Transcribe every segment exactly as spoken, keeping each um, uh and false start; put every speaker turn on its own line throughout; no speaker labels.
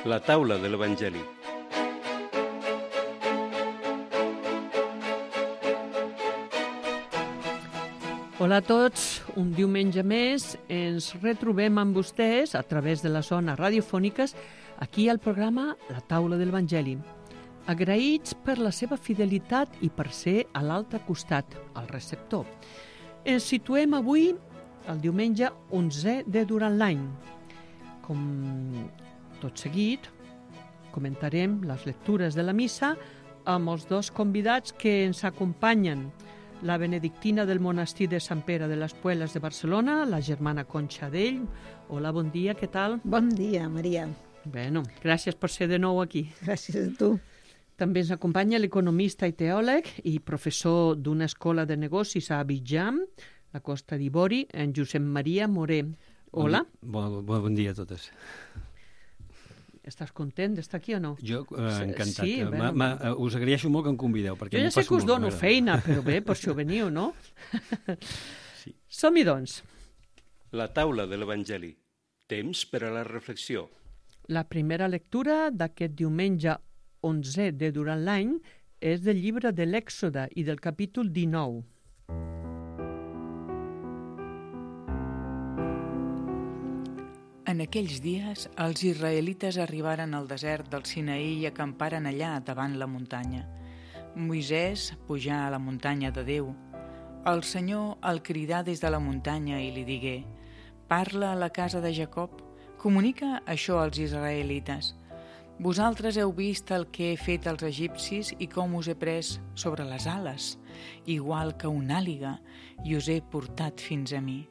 La taula de l'Evangeli.
Hola a tots, un diumenge més ens retrobem amb vostès a través de les zones radiofòniques aquí al programa La taula de l'Evangeli. Agraïts per la seva fidelitat i per ser a l'altre costat, al receptor. Ens situem avui el diumenge onzè de durant l'any. Com tot seguit, comentarem les lectures de la missa amb els dos convidats que ens acompanyen. La benedictina del monestir de Sant Pere de les Puelas de Barcelona, la germana Conxa Dell. Hola, bon dia, què tal?
Bon dia, Maria.
Bueno, gràcies per ser de nou aquí.
Gràcies a tu.
També ens acompanya l'economista i teòleg i professor d'una escola de negocis a Abidjan, la Costa d'Ivori, en Josep Maria Moré. Hola.
Bon, bon, bon dia a totes.
Estàs content d'estar aquí o no?
Jo, eh, encantat.
Sí,
ma, ma, us agraeixo molt que em convideu. Perquè
jo ja sé que us dono feina, però bé, per si ho veniu, no? Sí. Som-hi, doncs.
La taula de l'Evangeli. Temps per a la reflexió.
La primera lectura d'aquest diumenge onzè de durant l'any és del llibre de l'Èxode i del capítol dinou.
En aquells dies, els israelites arribaren al desert del Sinaí i acamparen allà davant la muntanya. Moisès pujà a la muntanya de Déu. El Senyor el cridà des de la muntanya i li digué: «Parla a la casa de Jacob, comunica això als israelites. Vosaltres heu vist el que he fet als egipcis i com us he pres sobre les ales, igual que una àliga, i us he portat fins a mi.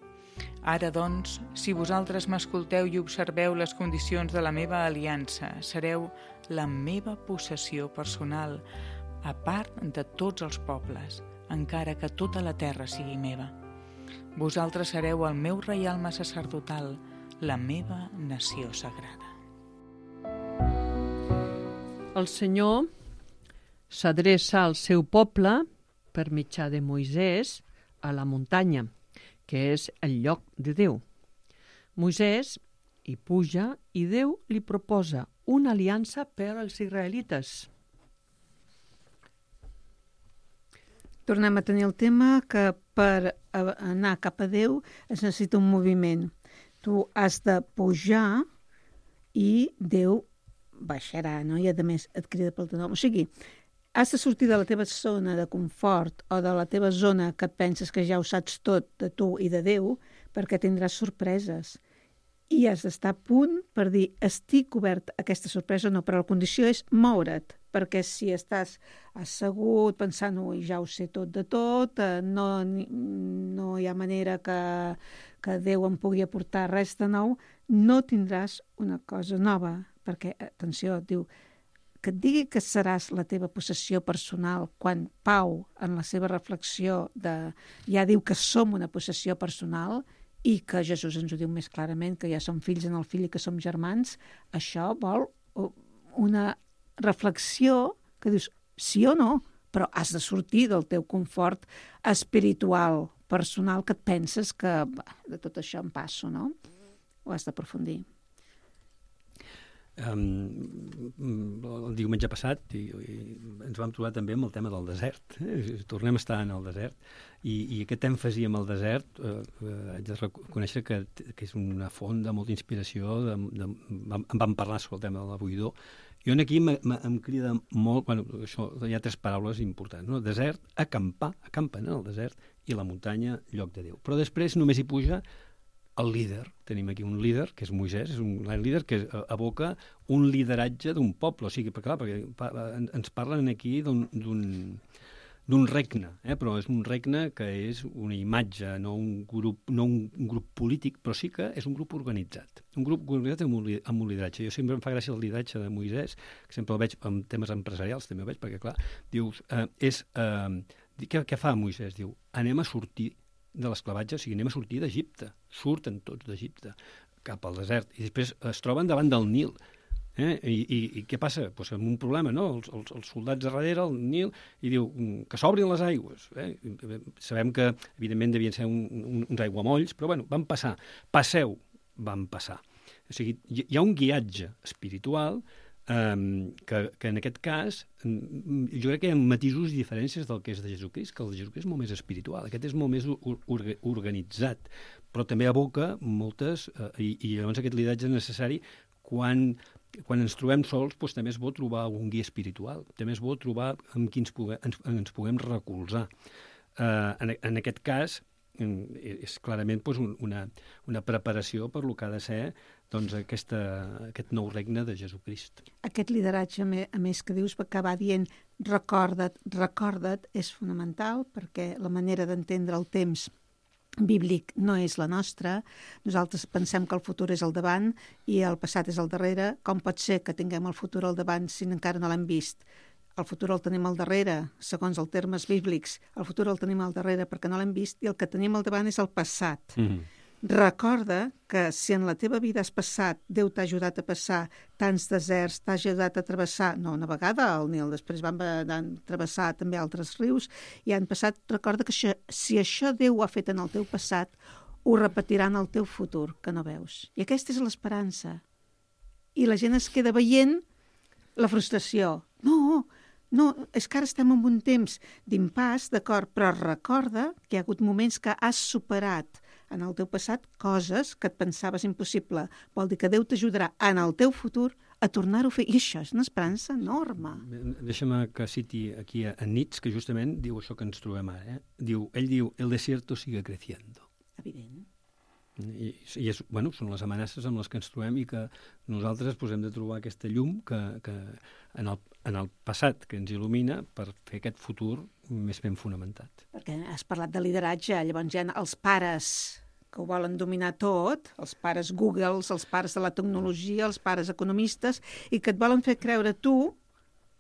Ara, doncs, si vosaltres m'escolteu i observeu les condicions de la meva aliança, sereu la meva possessió personal, a part de tots els pobles, encara que tota la terra sigui meva. Vosaltres sereu el meu reialme sacerdotal, la meva nació sagrada».
El Senyor s'adreça al seu poble per mitjà de Moisès a la muntanya, que és el lloc de Déu. Moisès hi puja i Déu li proposa una aliança per als israelites.
Tornem a tenir el tema que per anar cap a Déu es necessita un moviment. Tu has de pujar i Déu baixarà, no? I a més et crida pel teu nom. O sigui, has de sortir de la teva zona de confort o de la teva zona que et penses que ja ho saps tot de tu i de Déu, perquè tindràs sorpreses. I has d'estar a punt per dir, estic obert a aquesta sorpresa o no, però la condició és moure't, perquè si estàs assegut pensant, ui, ja ho sé tot de tot, no, no hi ha manera que, que Déu em pugui aportar res de nou, no tindràs una cosa nova, perquè, atenció, diu, que et digui que seràs la teva possessió personal quan Pau, en la seva reflexió, de, ja diu que som una possessió personal i que Jesús ens ho diu més clarament, que ja som fills en el fill i que som germans, això vol una reflexió que dius sí o no, però has de sortir del teu confort espiritual, personal, que et penses que bah, de tot això em passo, no? Ho has d'aprofundir.
Um, el diumenge passat i, i ens vam trobar també amb el tema del desert. Eh? Tornem a estar en el desert i, i aquest èmfasi amb el desert eh, eh, haig de reconèixer que, que és una font de molta inspiració. De, de, vam, en vam parlar sobre el tema de la buidor. Jo aquí m, m, em crida molt, bueno, això, hi ha tres paraules importants, no? Desert, acampar, acampen en el desert, i la muntanya, lloc de Déu. Però després només hi puja el líder. Tenim aquí un líder, que és Moisès, és un líder que evoca un lideratge d'un poble. O sigui, perquè, clar, perquè ens parlen aquí d'un, d'un regne, eh? Però és un regne que és una imatge, no un grup, no un grup polític, però sí que és un grup organitzat. Un grup organitzat amb un, amb un lideratge. Jo sempre em fa gràcia el lideratge de Moisès, que sempre el veig en temes empresarials, també el veig, perquè, clar, dius, eh, és... Eh, què, què fa Moisès? Diu, anem a sortir de l'esclavatge, o sigui, anem a sortir d'Egipte. Surten tots d'Egipte cap al desert i després es troben davant del Nil. Eh? I, i, I què passa? Pues amb un problema, no? Els, els, els soldats a darrere, el Nil, i diu que s'obrin les aigües. Eh? Sabem que, evidentment, devien ser un, un, uns aiguamolls, però bueno, van passar. Passeu, van passar. O sigui, hi ha un guiatge espiritual Um, que, que en aquest cas um, jo crec que hi ha matisos i diferències del que és de Jesucrist, que el de Jesucrist és molt més espiritual, aquest és molt més or organitzat, però també aboca moltes, uh, i, i llavors aquest lideratge és necessari quan, quan ens trobem sols, doncs també és bo trobar un guia espiritual, també és bo trobar amb qui ens, pugue, ens, ens puguem recolzar. Uh, en, en aquest cas és clarament doncs, una, una preparació per lo que ha de ser doncs, aquesta, aquest nou regne de Jesucrist.
Aquest lideratge, a més, que dius, que va dient recorda't, recorda't, és fonamental perquè la manera d'entendre el temps bíblic no és la nostra. Nosaltres pensem que el futur és al davant i el passat és al darrere. Com pot ser que tinguem el futur al davant si encara no l'hem vist? El futur el tenim al darrere, segons els termes bíblics. El futur el tenim al darrere perquè no l'hem vist i el que tenim al davant és el passat. Mm-hmm. Recorda que si en la teva vida has passat, Déu t'ha ajudat a passar tants deserts, t'ha ajudat a travessar, no una vegada al Nil, després van, van travessar també altres rius i han passat, recorda que això, si això Déu ho ha fet en el teu passat, ho repetirà en el teu futur, que no veus. I aquesta és l'esperança. I la gent es queda veient la frustració. No, no, és que ara estem en un temps d'impàs, d'acord, però recorda que hi ha hagut moments que has superat en el teu passat coses que et pensaves impossible. Vol dir que Déu t'ajudarà en el teu futur a tornar-ho a fer. I això és una esperança enorme.
Deixa'm que citi aquí a Nietzsche, que justament diu això que ens trobem ara. Eh? Diu, ell diu, el desierto sigue creciendo.
Evident.
I, i és, bueno, són les amenaces amb les que ens trobem i que nosaltres pues, hem de trobar aquesta llum que, que en, el, en el passat que ens il·lumina per fer aquest futur més ben fonamentat.
Perquè has parlat de lideratge, llavors hi ha els pares que ho volen dominar tot, els pares Google, els pares de la tecnologia, els pares economistes, i que et volen fer creure tu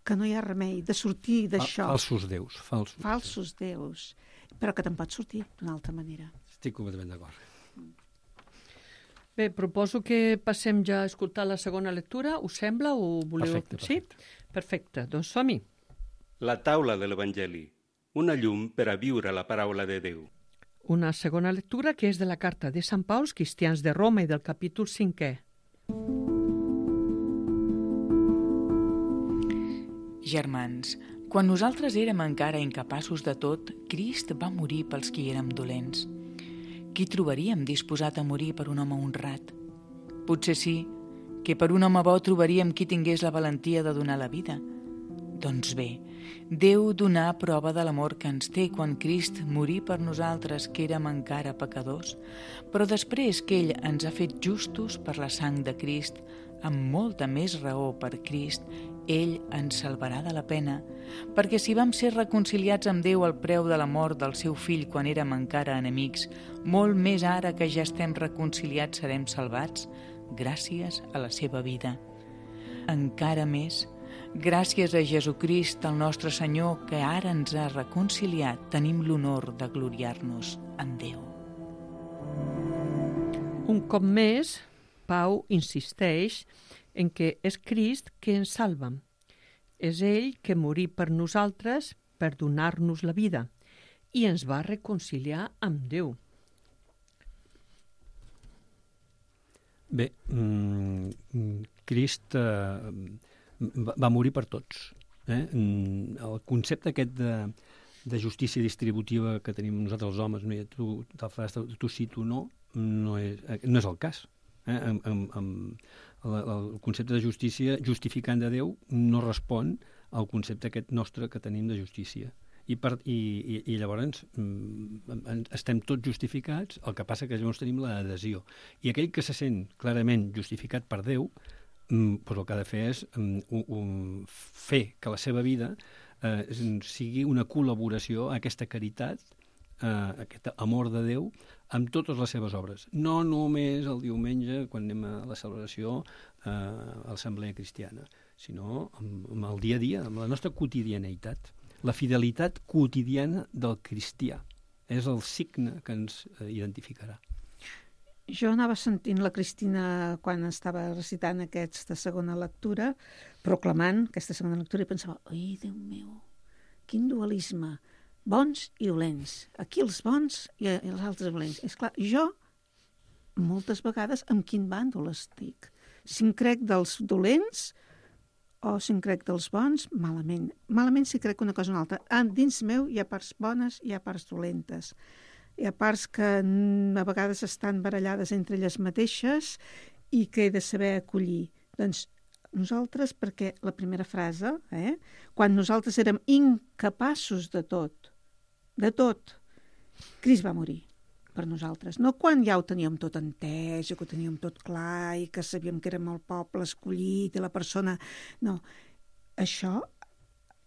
que no hi ha remei de sortir d'això.
Falsos déus. Falsos,
falsos déus. Però que te'n pots sortir d'una altra manera.
Estic completament d'acord.
Bé, proposo que passem ja a escoltar la segona lectura. Us sembla o voleu...
Perfecte, perfecte.
Sí? Perfecte, doncs som-hi.
La taula de l'Evangeli, una llum per a viure la paraula de Déu.
Una segona lectura que és de la carta de Sant Pau als cristians de Roma i del capítol cinquè.
Germans, quan nosaltres érem encara incapaços de tot, Crist va morir pels qui érem dolents. Qui trobaríem disposat a morir per un home honrat? Potser sí, que per un home bo trobaríem qui tingués la valentia de donar la vida. Doncs bé, Déu donà prova de l'amor que ens té quan Crist morí per nosaltres que érem encara pecadors, però després que ell ens ha fet justos per la sang de Crist, amb molta més raó per Crist, ell ens salvarà de la pena, perquè si vam ser reconciliats amb Déu al preu de la mort del seu fill quan érem encara enemics, molt més ara que ja estem reconciliats serem salvats, gràcies a la seva vida. Encara més, gràcies a Jesucrist, el nostre Senyor, que ara ens ha reconciliat, tenim l'honor de gloriar-nos en Déu.
Un cop més, Pau insisteix en que és Crist que ens salva. És ell que morí per nosaltres per donar-nos la vida i ens va reconciliar amb Déu.
Bé, mm, Crist eh, va, va morir per tots. Eh? El concepte aquest de, de justícia distributiva que tenim nosaltres els homes, no? I tu, tu sí, tu no, no és, no és el cas. Eh? Amb, amb, amb el, el concepte de justícia justificant de Déu no respon al concepte aquest nostre que tenim de justícia. I, per, i, i, i llavors mm, estem tots justificats, el que passa que llavors tenim l'adhesió. I aquell que se sent clarament justificat per Déu, mm, doncs el que ha de fer és mm, un, un, fer que la seva vida eh, sigui una col·laboració a aquesta caritat, Uh, aquest amor de Déu amb totes les seves obres. No només el diumenge, quan anem a la celebració uh, a l'Assemblea Cristiana, sinó amb, amb el dia a dia, amb la nostra quotidianeïtat. La fidelitat quotidiana del cristià és el signe que ens uh, identificarà.
Jo anava sentint la Cristina quan estava recitant aquesta segona lectura, proclamant aquesta segona lectura, i pensava, ai, Déu meu, quin dualisme, bons i dolents. Aquí els bons i els altres dolents. És clar, jo moltes vegades amb quin bàndol estic. Si em crec dels dolents o si em crec dels bons, malament. Malament si crec una cosa o una altra. Ah, dins meu hi ha parts bones i hi ha parts dolentes. Hi ha parts que a vegades estan barallades entre elles mateixes i que he de saber acollir. Doncs nosaltres, perquè la primera frase, eh, quan nosaltres érem incapaços de tot, de tot, Crist va morir per nosaltres. No quan ja ho teníem tot entès, que ho teníem tot clar i que sabíem que érem el poble escollit i la persona... No, això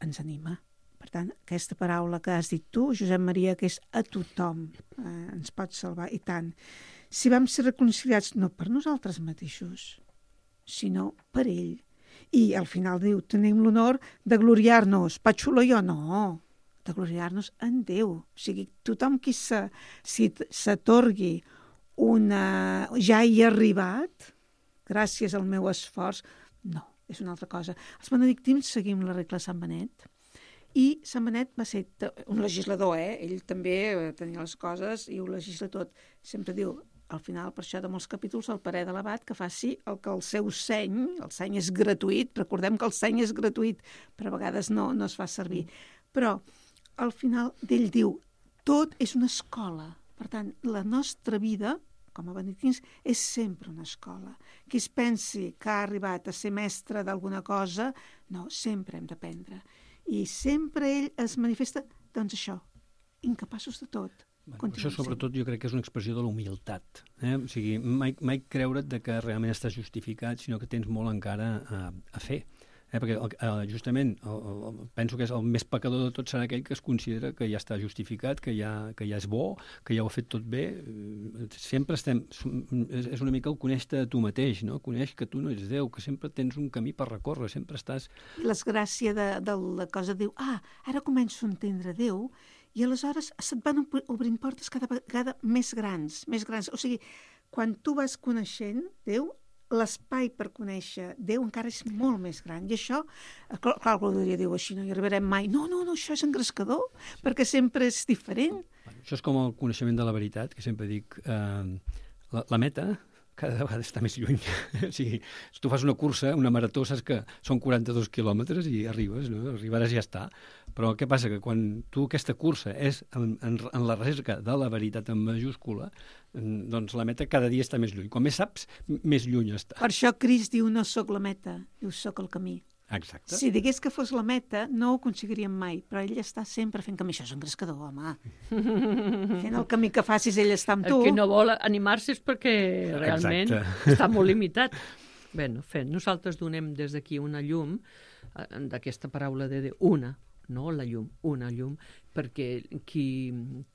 ens anima. Per tant, aquesta paraula que has dit tu, Josep Maria, que és a tothom, eh, ens pot salvar, i tant. Si vam ser reconciliats no per nosaltres mateixos, sinó per ell. I al final diu, tenim l'honor de gloriar-nos. Patxulo jo, no, de gloriar-nos en Déu. O sigui, tothom qui se, si s'atorgui una... ja hi ha arribat, gràcies al meu esforç, no, és una altra cosa. Els benedictins seguim la regla de Sant Benet, i Sant Benet va ser un legislador, eh? Ell també tenia les coses i ho legisla tot. Sempre diu, al final, per això de molts capítols, el parer de l'abat que faci el que el seu seny, el seny és gratuït, recordem que el seny és gratuït, però a vegades no, no es fa servir. Però al final d'ell diu, tot és una escola. Per tant, la nostra vida, com a benedictins, és sempre una escola. Qui es pensi que ha arribat a ser mestre d'alguna cosa, no, sempre hem d'aprendre. I sempre ell es manifesta, doncs això, incapaços de tot.
Bueno, això sobretot jo crec que és una expressió de la humilitat. Eh? O sigui, mai, mai creure't de que realment estàs justificat, sinó que tens molt encara a, a fer. Eh? Perquè el, justament el, el, penso que és el més pecador de tot serà aquell que es considera que ja està justificat, que ja, que ja és bo, que ja ho ha fet tot bé. Sempre estem... És una mica el conèixer a tu mateix, no? Coneix que tu no ets Déu, que sempre tens un camí per recórrer, sempre estàs...
L'esgràcia de, de la cosa diu, ah, ara començo a entendre Déu, i aleshores se't van obrint portes cada vegada més grans, més grans. O sigui, quan tu vas coneixent Déu, l'espai per conèixer Déu encara és molt més gran. I això, clar, clar Gloria diu, així no hi arribarem mai. No, no, no, això és engrescador, perquè sempre és diferent.
Això és com el coneixement de la veritat, que sempre dic, eh, la, la meta cada vegada està més lluny. O sigui, si tu fas una cursa, una marató, saps que són quaranta-dos quilòmetres i arribes, no? Arribaràs i ja està. Però què passa? Que quan tu aquesta cursa és en, en, en la recerca de la veritat en majúscula, doncs la meta cada dia està més lluny. Com més saps, més lluny està.
Per això Crist diu, no sóc la meta, diu, sóc el camí.
Exacte.
Si digués que fos la meta, no ho aconseguiríem mai, però ell està sempre fent camí. Això és engrescador, home. Fent el camí que facis, ell està amb tu.
El que no vol animar-se és perquè realment Exacte. Està molt limitat. Bé, no, fent, nosaltres donem des d'aquí una llum, d'aquesta paraula de Déu, una, no la llum, una llum, perquè qui,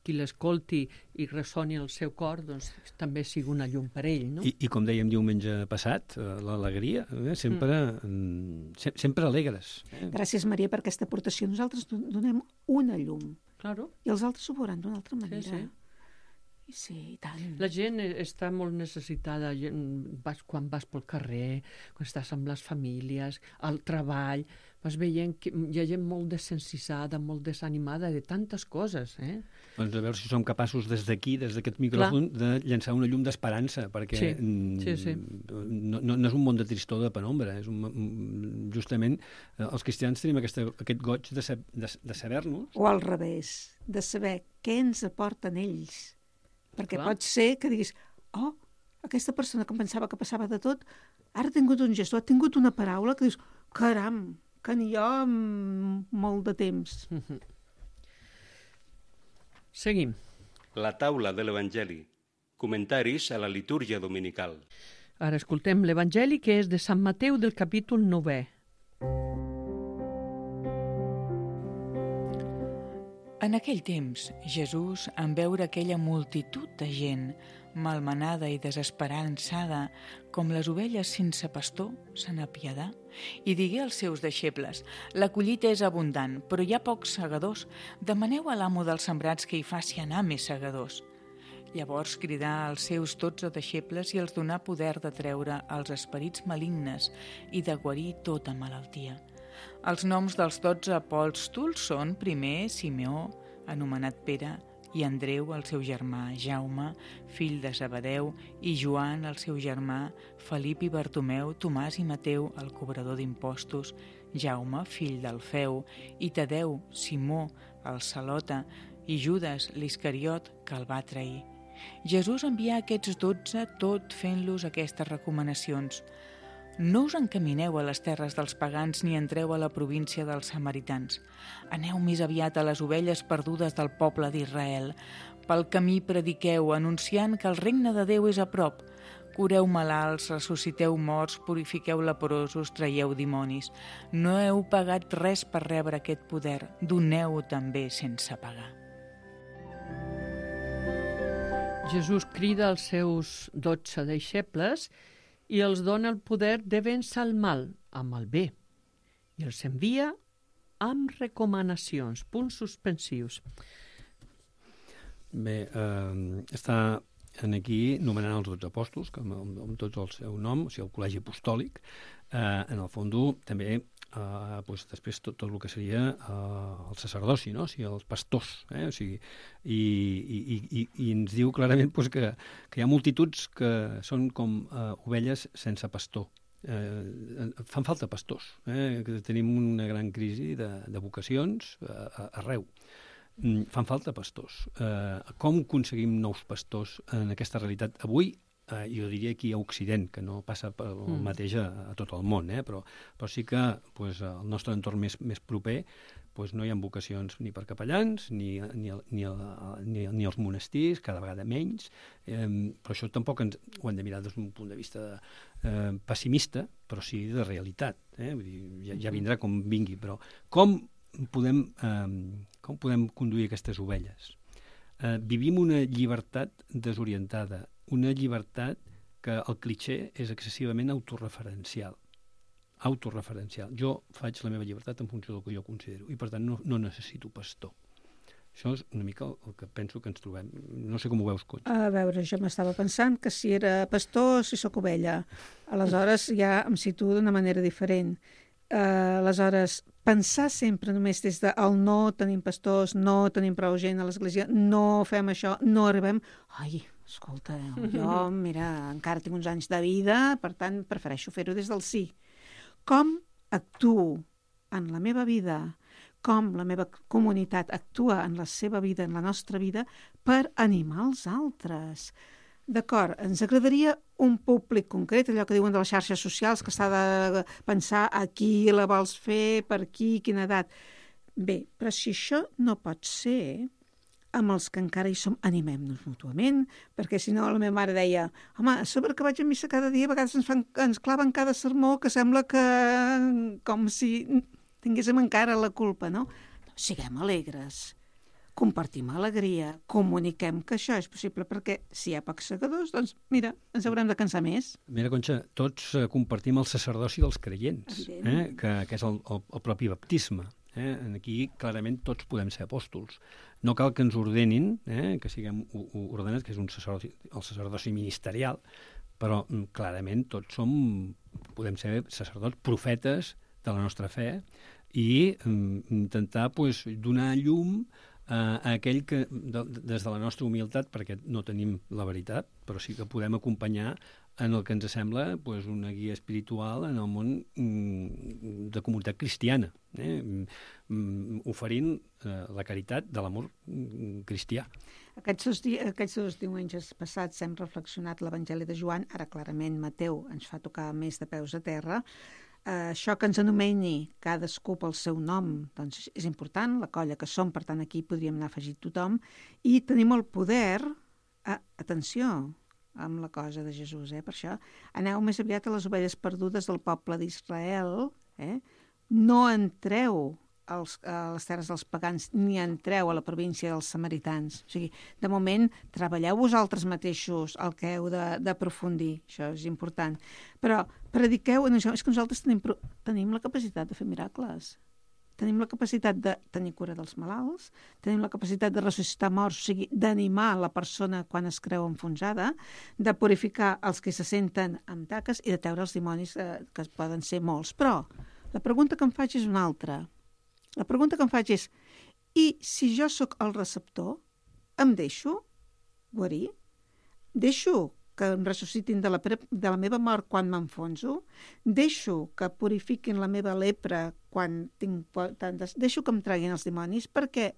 qui l'escolti i ressoni el seu cor, doncs també sigui una llum per ell, no?
I, i com dèiem diumenge passat, l'alegria, eh, sempre, mm. se, sempre alegres. Eh?
Gràcies, Maria, per aquesta aportació. Nosaltres donem una llum.
Claro.
I els altres ho veuran d'una altra manera.
Sí, sí.
I sí, i tant.
La gent està molt necessitada vas, quan vas pel carrer, quan estàs amb les famílies, al treball, vas veient que hi ha gent molt desencisada, molt desanimada de tantes coses, eh?
Doncs a veure si som capaços des d'aquí, des d'aquest micròfon, Clar. de llançar una llum d'esperança, perquè
sí. Sí, sí.
No, no, no és un món de tristor, de penombra, és un, justament els cristians tenim aquesta, aquest goig de, de, de saber-nos.
O al revés, de saber què ens aporten ells. Perquè Clar. Pot ser que diguis, oh, aquesta persona que em pensava que passava de tot, ara ha tingut un gest, ha tingut una paraula que dius, caram, que n'hi ha molt de temps.
Seguim.
La taula de l'Evangeli. Comentaris a la litúrgia dominical.
Ara escoltem l'Evangeli, que és de Sant Mateu del capítol novè.
En aquell temps, Jesús, en veure aquella multitud de gent, malmenada i desesperançada, com les ovelles sense pastor, se n'apiadà i digué als seus deixebles: la collita és abundant, però hi ha pocs segadors. Demaneu a l'amo dels sembrats que hi faci anar més segadors. Llavors cridà als seus dotze deixebles i els donà poder de treure els esperits malignes i de guarir tota malaltia. Els noms dels dotze apòstols són, primer, Simeó, anomenat Pere, i Andreu, el seu germà, Jaume, fill de Zebedeu, i Joan, el seu germà, Felip i Bartomeu, Tomàs i Mateu, el cobrador d'impostos, Jaume, fill d'Alfeu, i Tadeu, Simó, el Celota, i Judes, l'Iscariot, que el va trair. Jesús envià aquests dotze tot fent-los aquestes recomanacions. No us encamineu a les terres dels pagans ni entreu a la província dels samaritans. Aneu més aviat a les ovelles perdudes del poble d'Israel. Pel camí prediqueu, anunciant que el regne de Déu és a prop. Cureu malalts, ressusciteu morts, purifiqueu leprosos, traieu dimonis. No heu pagat res per rebre aquest poder. Doneu-ho també sense pagar.
Jesús crida els seus dotze deixebles i els dona el poder de vèncer el mal amb el bé. I els envia amb recomanacions, punts suspensius.
Bé, eh, està en aquí nomenant els dotze apòstols, que amb, amb tots el seu nom, o sigui, el col·legi apostòlic. Eh, en el fons, també, eh, doncs, després tot, tot el que seria eh, el sacerdoci, no? O sigui, els pastors. Eh? O sigui, i, i, i, i ens diu clarament doncs, que, que hi ha multituds que són com eh, ovelles sense pastor. Eh, fan falta pastors. Eh? Que tenim una gran crisi de, de vocacions eh, arreu. Fan falta pastors. Eh, com aconseguim nous pastors en aquesta realitat avui? Eh, jo diria aquí a Occident, que no passa per el mm. mateix a, a tot el món, eh? però, però sí que pues, el nostre entorn més, més proper pues, no hi ha vocacions ni per capellans, ni, ni, ni, ni, ni als monestirs, cada vegada menys, eh, però això tampoc ens, ho hem de mirar des d'un punt de vista eh, pessimista, però sí de realitat. Eh? Vull dir, ja, ja vindrà com vingui, però com podem, eh, com podem conduir aquestes ovelles? Eh, vivim una llibertat desorientada, una llibertat que el clitxé és excessivament autorreferencial. Autorreferencial. Jo faig la meva llibertat en funció del que jo considero i, per tant, no, no necessito pastor. Això és una mica el, el que penso que ens trobem. No sé com ho veus, Conxa.
A veure, jo m'estava pensant que si era pastor, si sóc ovella. Aleshores ja em situo d'una manera diferent. Uh, aleshores, pensar sempre només des de el no tenim pastors, no tenim prou gent a l'església, no fem això, no arribem... Ai, escolta, jo, mira, encara tinc uns anys de vida, per tant, prefereixo fer-ho des del sí. Com actuo en la meva vida, com la meva comunitat actua en la seva vida, en la nostra vida, per animar els altres. D'acord, ens agradaria un públic concret, allò que diuen de les xarxes socials, que s'ha de pensar a qui la vols fer, per qui, quina edat. Bé, però si això no pot ser, amb els que encara hi som, animem-nos mútuament, perquè si no la meva mare deia, home, a sobre que vaig a missa cada dia, a vegades ens, fan, ens claven cada sermó que sembla que com si tinguéssim encara la culpa, no? Siguem alegres, compartim alegria, comuniquem que això és possible, perquè si hi ha pocs segadors, doncs mira, ens haurem de cansar més.
Mira, Conxa, tots eh, compartim el sacerdoci dels creients, eh? que, que és el, el, el propi baptisme. Eh? Aquí, clarament, tots podem ser apòstols. No cal que ens ordenin, eh? que siguem ordenats, que és un sacerdoci, el sacerdoci ministerial, però clarament tots som, podem ser sacerdots, profetes de la nostra fe i um, intentar pues, donar llum a aquell que, de, des de la nostra humilitat, perquè no tenim la veritat, però sí que podem acompanyar en el que ens sembla pues, una guia espiritual en el món mm, de comunitat cristiana, eh? mm, oferint eh, la caritat de l'amor mm, cristià.
Aquests dos, di aquests dos diumenges passats hem reflexionat l'Evangeli de Joan, ara clarament Mateu ens fa tocar més de peus a terra. Uh, això que ens anomeni cadascú pel seu nom doncs és important, la colla que som, per tant aquí podríem anar afegit tothom, i tenim el poder, uh, atenció amb la cosa de Jesús, eh? Per això aneu més aviat a les ovelles perdudes del poble d'Israel, eh? No entreu als, a les terres dels pagans ni entreu a la província dels samaritans. O sigui, de moment treballeu vosaltres mateixos el que heu d'aprofundir, això és important, però prediqueu en això. És que nosaltres tenim, tenim la capacitat de fer miracles, tenim la capacitat de tenir cura dels malalts, tenim la capacitat de ressuscitar morts, o sigui, d'animar la persona quan es creu enfonsada, de purificar els que se senten amb taques i de treure els dimonis, eh, que poden ser molts. Però la pregunta que em faig és una altra. La pregunta que em faig és, i si jo sóc el receptor, em deixo guarir, deixo que em ressuscitin de la, de la meva mort quan m'enfonso, deixo que purifiquin la meva lepra quan tinc tantes... Deixo que em treguin els dimonis, perquè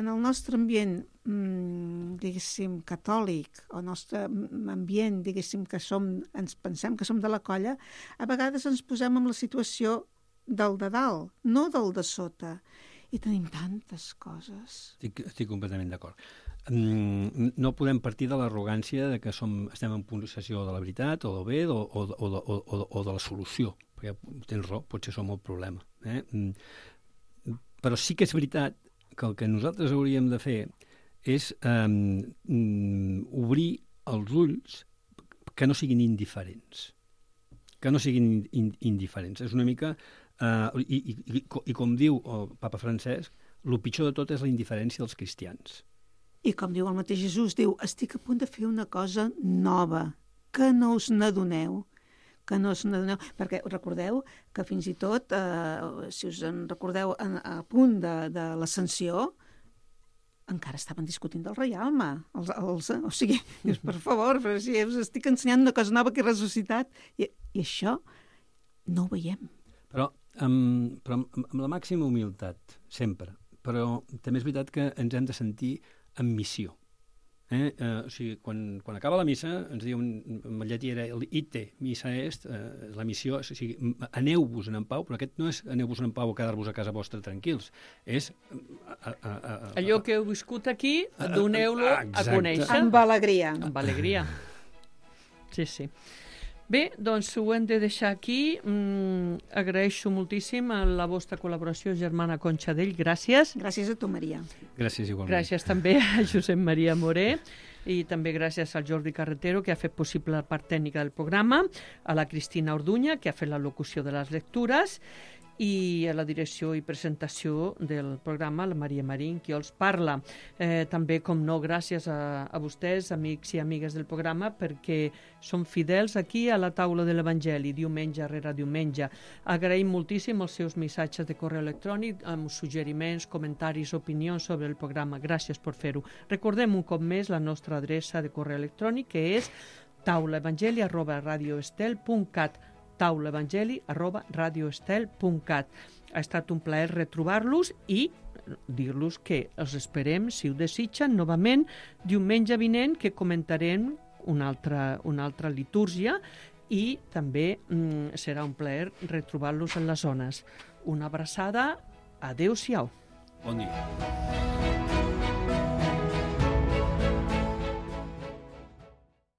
en el nostre ambient, mmm, diguéssim, catòlic, o el nostre ambient, diguéssim, que som, ens pensem que som de la colla, a vegades ens posem en la situació del de dalt, no del de sota. I tenim tantes coses.
Estic, estic completament d'acord. Mm, no podem partir de l'arrogància de que som, estem en possessió de la veritat o del bé o, o, o, o, o, o de la solució, perquè tens raó, potser som el problema. Eh? Mm, però sí que és veritat que el que nosaltres hauríem de fer és um, um, obrir els ulls que no siguin indiferents. Que no siguin in, indiferents. És una mica... Uh, i, i, i, I com diu el papa Francesc, el pitjor de tot és la indiferència dels cristians.
I com diu el mateix Jesús, diu, estic a punt de fer una cosa nova, que no us n'adoneu, que no us n'adoneu, perquè recordeu que fins i tot, eh, si us en recordeu, a, a punt de, de l'ascensió, encara estaven discutint del reialme. Els, els, o sigui, dius, per favor, però si us estic ensenyant una cosa nova que he ressuscitat, i, i això no ho veiem.
Però, amb, però amb, amb la màxima humilitat, sempre. Però també és veritat que ens hem de sentir en missió. Eh? Eh, o sigui, quan, quan acaba la missa, ens diu en llatí era el ite, missa est, eh, la missió, o sigui, aneu-vos en pau, però aquest no és aneu-vos en pau o quedar-vos a casa vostra tranquils, és... A, a, a, a,
allò que heu viscut aquí, doneu-lo a conèixer.
Amb alegria.
Amb alegria. Sí, sí. Bé, doncs ho hem de deixar aquí. Mm, agraeixo moltíssim la vostra col·laboració, germana Conxadell. Gràcies.
Gràcies a tu, Maria.
Gràcies igualment.
Gràcies també a Josep Maria Moré i també gràcies al Jordi Carretero, que ha fet possible la part tècnica del programa, a la Cristina Orduña, que ha fet la locució de les lectures, i a la direcció i presentació del programa, la Maria Marín, qui els parla. Eh, també, com no, gràcies a, a vostès, amics i amigues del programa, perquè són fidels aquí a la taula de l'Evangeli, diumenge rere diumenge. Agraïm moltíssim els seus missatges de correu electrònic amb suggeriments, comentaris, opinions sobre el programa. Gràcies per fer-ho. Recordem un cop més la nostra adreça de correu electrònic, que és taulaevangeli arroba radioestel punt cat. taulaevangeli arroba radioestel punt cat. Ha estat un plaer retrobar-los i dir-los que els esperem, si ho desitgen, novament diumenge vinent, que comentarem una altra, una altra litúrgia, i també mm, serà un plaer retrobar-los en les zones. Una abraçada, adeu-siau.
Bon dia.